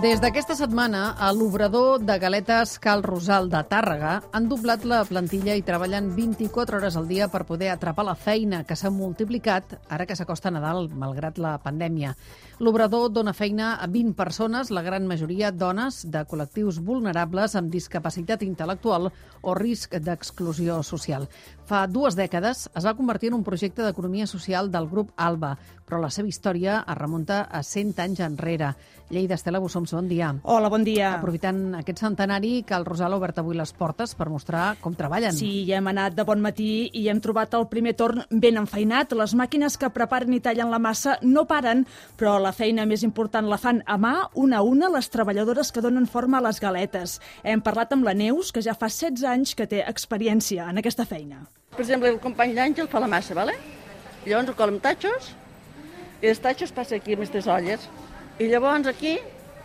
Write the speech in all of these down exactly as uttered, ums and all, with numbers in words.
Des d'aquesta setmana, a l'obrador de galetes Cal Rosal de Tàrrega han doblat la plantilla i treballen vint-i-quatre hores al dia per poder atrapar la feina que s'ha multiplicat ara que s'acosta Nadal, malgrat la pandèmia. L'obrador dona feina a vint persones, la gran majoria dones de col·lectius vulnerables amb discapacitat intel·lectual o risc d'exclusió social. Fa dues dècades es va convertir en un projecte d'economia social del grup ALBA, però la seva història es remunta a cent anys enrere. Lleida, Estela Bussoms, bon dia. Hola, bon dia. Aprofitant aquest centenari, Cal Rosal ha obert avui les portes per mostrar com treballen. Sí, ja hem anat de bon matí i hem trobat el primer torn ben enfeinat. Les màquines que preparen i tallen la massa no paren, però la feina més important la fan a mà, una a una, les treballadores que donen forma a les galetes. Hem parlat amb la Neus, que ja fa setze anys que té experiència en aquesta feina. Per exemple, el company d'Àngel fa la massa, ¿vale? Llavors ho cola amb tatxos, i els tatxos passa aquí amb aquestes olles. I llavors aquí,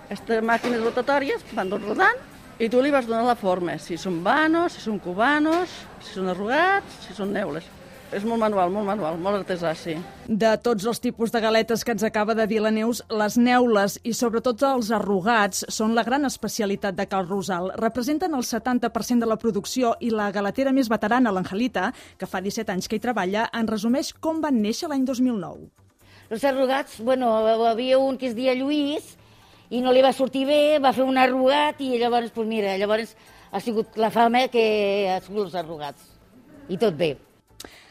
aquestes màquines rotatòries van tot rodant i tu li vas donar la forma, si són vanos, si són cubanos, si són arrugats, si són neules. És molt manual, molt manual, molt artesà, sí. De tots els tipus de galetes que ens acaba de dir la Neus, les neules i sobretot els arrugats són la gran especialitat de Cal Rosal. Representen el setanta per cent de la producció i la galetera més veterana, l'Angelita, que fa disset anys que hi treballa, en resumeix com van néixer l'any dos mil nou. Els arrugats, bueno, havia un que es deia Lluís i no li va sortir bé, va fer un arrugat i llavors, doncs mira, llavors ha sigut la fama que ha sigut els arrugats. I tot bé.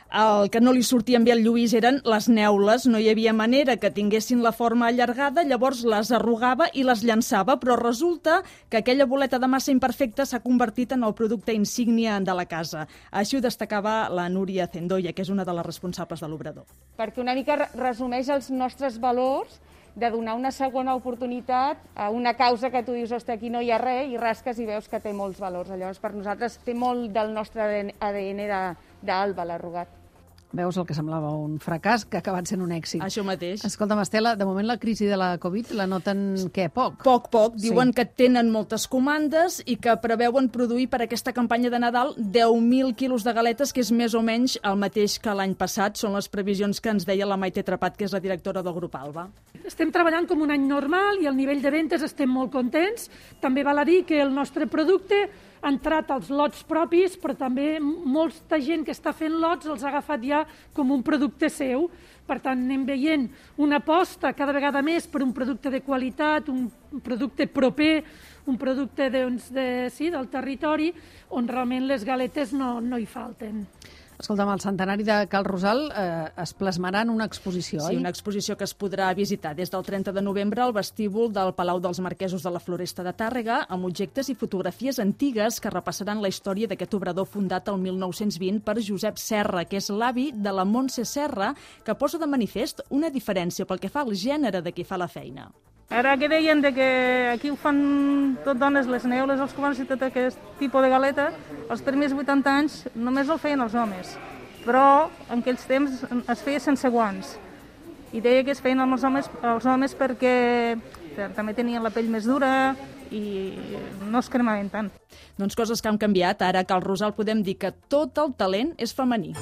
El que no li sortien bé al Lluís eren les neules. No hi havia manera que tinguessin la forma allargada, llavors les arrugava i les llançava, però resulta que aquella boleta de massa imperfecta s'ha convertit en el producte insígnia de la casa. Així ho destacava la Núria Zendoya, que és una de les responsables de l'obrador. Perquè una mica resumeix els nostres valors de donar una segona oportunitat a una causa que tu dius, ostres, aquí no hi ha res, i rasques i veus que té molts valors. Llavors, per nosaltres té molt del nostre A D N d'Alba, l'arrugat. Veus el que semblava un fracàs que ha acabat sent un èxit. Això mateix. Escolta'm, Estela, de moment la crisi de la Covid la noten, què, poc? Poc, poc. Diuen sí. que tenen moltes comandes i que preveuen produir per aquesta campanya de Nadal deu mil quilos de galetes, que és més o menys el mateix que l'any passat. Són les previsions que ens deia la Maite Trepat, que és la directora del grup ALBA. Estem treballant com un any normal i al nivell de ventes estem molt contents. També val a dir que el nostre producte ha entrat als lots propis, però també molta gent que està fent lots els ha agafat ja com un producte seu. Per tant, anem veient una aposta cada vegada més per un producte de qualitat, un producte proper, un producte doncs, de, sí, del territori, on realment les galetes no, no hi falten. Escolta'm, el centenari de Cal Rosal eh, es plasmarà en una exposició, sí, oi? una exposició que es podrà visitar des del trenta de novembre al vestíbul del Palau dels Marquesos de la Floresta de Tàrrega, amb objectes i fotografies antigues que repassaran la història d'aquest obrador fundat el mil nou-cents vint per Josep Serra, que és l'avi de la Montse Serra, que posa de manifest una diferència pel que fa al gènere de qui fa la feina. Ara que deien de que aquí ho fan tot dones, les neules, els cubanos i tot aquest tipus de galeta, els primers vuitanta anys només el feien els homes, però en aquells temps es feia sense guants. I deia que es feien els homes, els homes perquè també tenien la pell més dura i no es cremaven tant. Doncs coses que han canviat. Ara a Cal Rosal podem dir que tot el talent és femení.